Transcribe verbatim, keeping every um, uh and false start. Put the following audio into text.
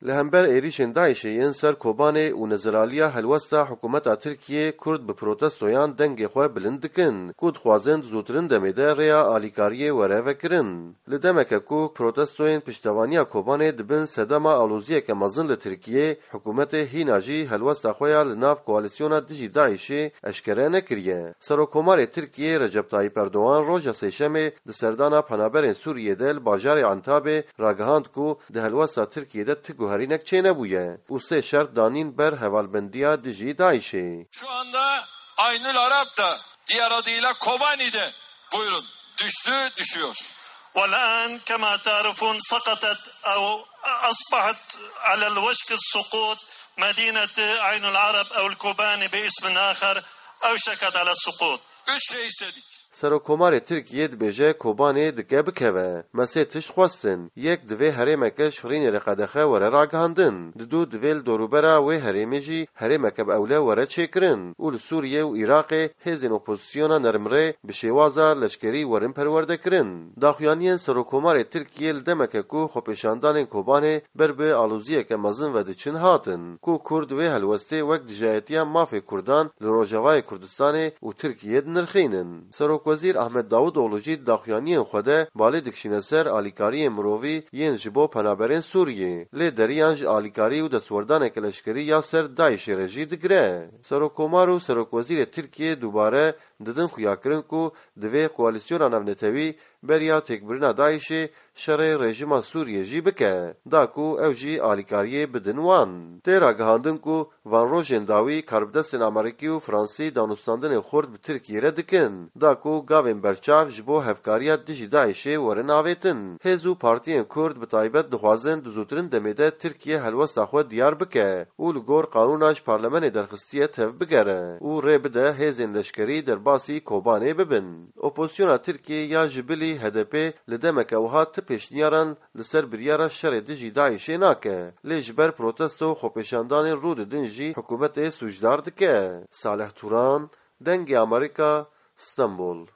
Li hember êrîşên DAIŞê yên ser Kobanê û neziraliya helwesta hikûmeta Tirkiyê, Kurd bi protestoyan dengê xwe bilind dikin, ku dixwazin di zûtirin demê de rêya alîkariyê were vekirin. Li demeke ku protestoyên piştevaniya Kobanê dibin sedema aloziyeke mezin li Tirkiyê, hikûmetê hîna jî helwesta xwe ya li nav koalîsyona dijî DAIŞê eşkere nekiriye. Serokkomarê Tirkiyê Recep Tayyip Erdogan roja Sêşemê di serdana penaberên Sûriyê de li bajarê Entabê ragihand ku di helwesta Tirkiyê de ti guherînek çênebûye û sê şert danîn ber hevalbendiya dijî DAIŞê. Şu anda Aynül Arap da, diğer adıyla Kobani de, buyurun, düştü, düşüyor. والآن كما تعرفون سقطت أو أصبحت على الوشك السقوط مدينة عين العرب أو الكوباني باسم آخر، أوشكت على السقوط. Üç şey istedik. Serokkomarê Tirkiyê dibêje Kobanê dike bikeve. Me sê tişt xwestin. Yek, divê herêmeke ji firînê re qedexe were ragihandin. Didu, divê li dorûbera wê herêmê jî herêmeke bi ewle were çêkirin û li Sûriye û Iraqê hêzên opozisyona nermrê bi şêwaza leşkerî werin perwerdekirin. Daxuyaniyên Serokkomarê Tirkiyê li demeke ku xwepêşandanên Kobanê ber bi aloziyeke mezin ve diçin hatin, ku Kurd wê helwestê wek dijayetiya mafê Kurdan li Rojavayê Kurdistanê û Tirkiyê dinirxînin. Serokwezîr Ahmet Davutoğlu jî di daxuyaniyên xwe de balê dikişîne ser alîkariyên mirovî yên ji bo penaberên Sûriyê. Lê deriyan ji alîkarî û destwerdaneke leşkerî ya ser DAIŞê re jî digire. Serokkomar û Serokwezîrê Tirkiyê dubare didin xuyakirin ku divê koalîsyona navnetewî beriya têkbirina DAIŞê şerê rejîma Sûriyê jî bike, da ku ew jî alîkariyê bidin wan. Tê ragihandin ku van rojên dawî karbidestên Amerîkî û Fransî danûstandinên xurt bi Tirkiyê re dikin, da ku gavên berçav ji bo hevkariya dijî DAIŞê werin avêtin. Hêz û partiyên Kurd bi taybet dixwazin di zûtirin demê de Tirkiye helwesta xwe diyar bike û li gor qanûna ji parlemenê derxistiye tevbigere û rê bide hêzên leşkerî derbasî Kobanê bibin. Opozisyona Tirkiyê ya ji bilî H D P li demeke wiha ti pêşniyaran li ser biryara şerê dijî DAIŞê nake, lê ji ber protesto û xwepêşandanên rû didin jî hikûmetê sûcdar dike. Salih Turan, Dengê Amerîka, Stenbol.